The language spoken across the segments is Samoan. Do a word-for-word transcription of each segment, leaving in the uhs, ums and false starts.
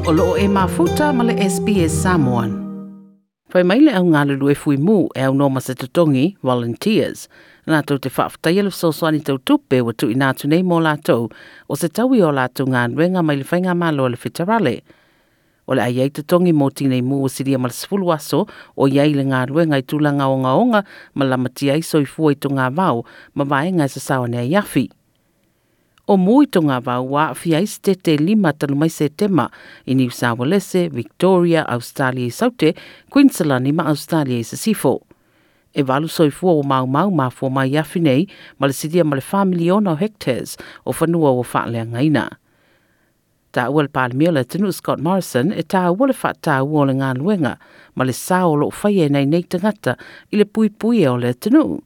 O loo e mafuta ma le S B S Samoan. Fai mai le au galulue fui mu e au noma se totongi, volunteers. Nā tau te whaaftaia le fesoasoani tau tupe ua tuuina atu nei mo latou o se taui o latou galuega mai le faigamalo a le feterale. O le ai ai totongi mo tinei mu o silia ma le sefulu aso o iai le galuega i tulaga ogaoga ma lamatia ai soifua i tonga vao ma vaega e sasao ane ai afi. O mu i tonga vao ua aafia ai se tete lima talu mai Setema i New South Wales, Victoria, Australia i Saute, Queensland ma Australia i Sisifo. E valu soifua o mau mau mafua mai afi nei ma le silia ma le wha miliona o hectares o fanua ua faaleagaina. Tā ua le Palemia o le atunuu Scott Morrison e tā ua le whaatāua o le galuega ma le sao o loo whaia nei nei tangata i le puipuia o le atunuu.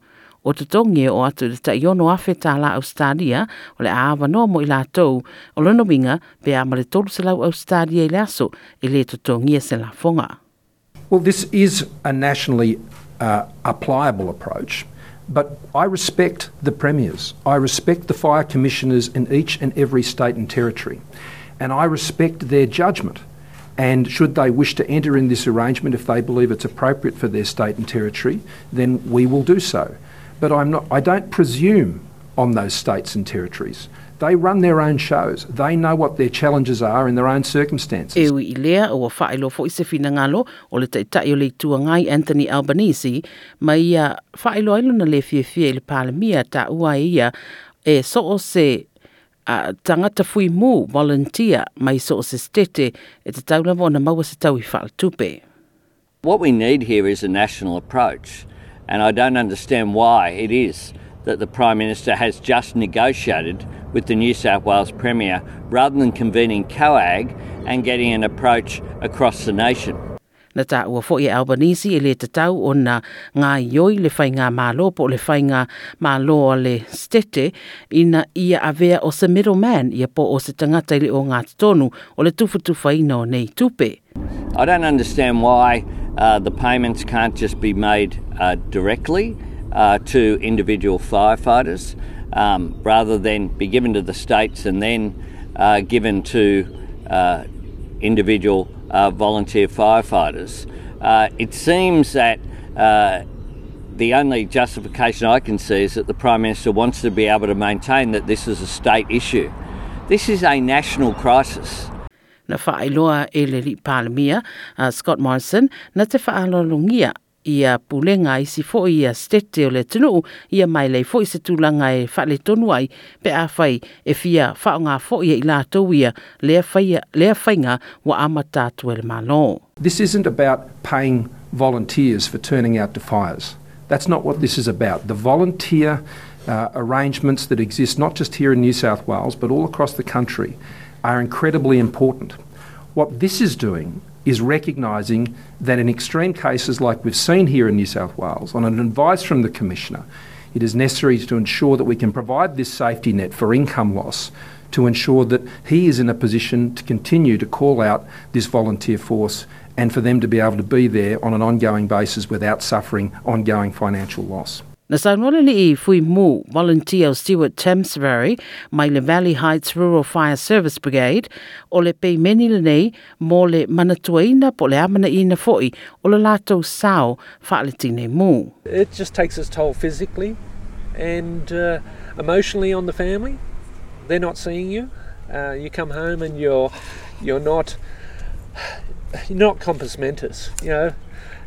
O totongi o atu le taiono afe tāla Australia o le aawa noa mo i lātou o lona winga pe a ma le tolu selau Australia i le aso e le totongia se lafonga. Well, this is a nationally uh, applicable approach, but I respect the premiers. I respect the fire commissioners in each and every state and territory, and I respect their judgment. And should they wish to enter in this arrangement, if they believe it's appropriate for their state and territory, then we will do so. But I'm not, I don't presume on those states and territories. They run their own shows. They know what their challenges are in their own circumstances. E ui i lea o whaelo fo i se whinangalo o le taitai o le itua ngai Anthony Albanese, ma ia whaelo ailo na le fiafia i le palemia ta ua ia e so o se uh, tangata fui mu volunteer mai so o se stete e te taulava o na maua se tau i whaaltupe. What we need here is a national approach, and I don't understand why it is that the Prime Minister has just negotiated with the New South Wales Premier rather than convening COAG and getting an approach across the nation. Na tā ua foi e Albanese e le tatau o na ngā ioi le whainga mālo po le whainga mālo a le stete ina ia avea o se middleman ia po o se tangata i le o ngā tonu o le tufutufaina o nei tupe. I don't understand why uh, the payments can't just be made uh, directly uh, to individual firefighters um, rather than be given to the states and then uh, given to uh, individual uh, volunteer firefighters. Uh, it seems that uh, the only justification I can see is that the Prime Minister wants to be able to maintain that this is a state issue. This is a national crisis. Na whaailoa e le li Palemia, uh, Scott Morrison, na te whaalolongia ia pulenga isi fo ia stete o le tunu ia mai lei fo i se tūlanga e whaale tonu ai pe a whai e fia whaonga fo ia i lātou ia lea, whaia, lea whainga wa amata atu e le malo. This isn't about paying volunteers for turning out to fires. That's not what this is about. The volunteer uh, arrangements that exist not just here in New South Wales but all across the country are incredibly important. What this is doing is recognising that in extreme cases like we've seen here in New South Wales, on an advice from the Commissioner, it is necessary to ensure that we can provide this safety net for income loss to ensure that he is in a position to continue to call out this volunteer force and for them to be able to be there on an ongoing basis without suffering ongoing financial loss. Na saunoa le i fui mu volunteer Stewart Thamesbury mai le Valley Heights Rural Fire Service Brigade o le peimeni le nei mo le manatuaina po le amana ina foi o le lātou sao whaaletine mu. It just takes its toll physically and uh, emotionally on the family. They're not seeing you. Uh, you come home and you're you're not you're not compos mentis. You know,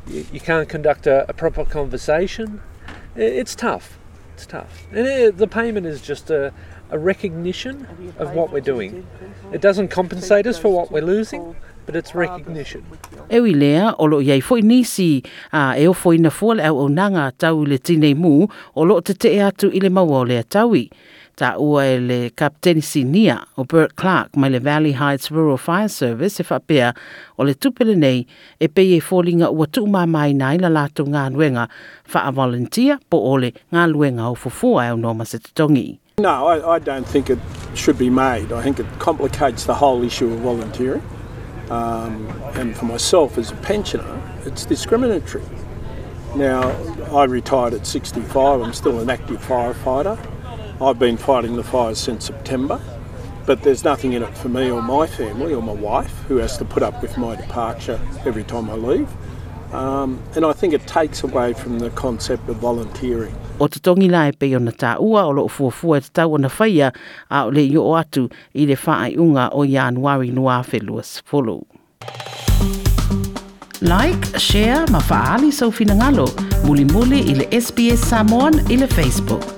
you, you can't conduct a, a proper conversation. It's tough. It's tough. And it, the payment is just a, a recognition of what we're doing. It doesn't compensate us for what we're losing, but it's recognition. E ui lea, o lo iai foi nisi a e ofo ina fua le au au nanga tau i le tinei mu o lo te te atu i le maua o lea taui. Ta ua e le Kapteni Sinia o Bert Clark mai le Valley Heights Rural Fire Service e whapea o le tupele nei e pei e fōlinga ua tuumamai nai la lātou ngā luenga wha volunteer po o le ngā luenga o fufua e au noma se totongi. No, I, I don't think it should be made. I think it complicates the whole issue of volunteering. Um, and for myself as a pensioner, it's discriminatory. Now, I retired at sixty-five. I'm still an active firefighter. I've been fighting the fires since September. But there's nothing in it for me or my family or my wife, who has to put up with my departure every time I leave. Um, and I think it takes away from the concept of volunteering. O totogi la e pei ona tāua o loo fuafua e tatau ona faia a o le i oo atu i le faaiuga o Ianuari lua afe luasefulu. Like, share ma faaali sou finagalo mulimuli i le S B S Samoan i le Facebook.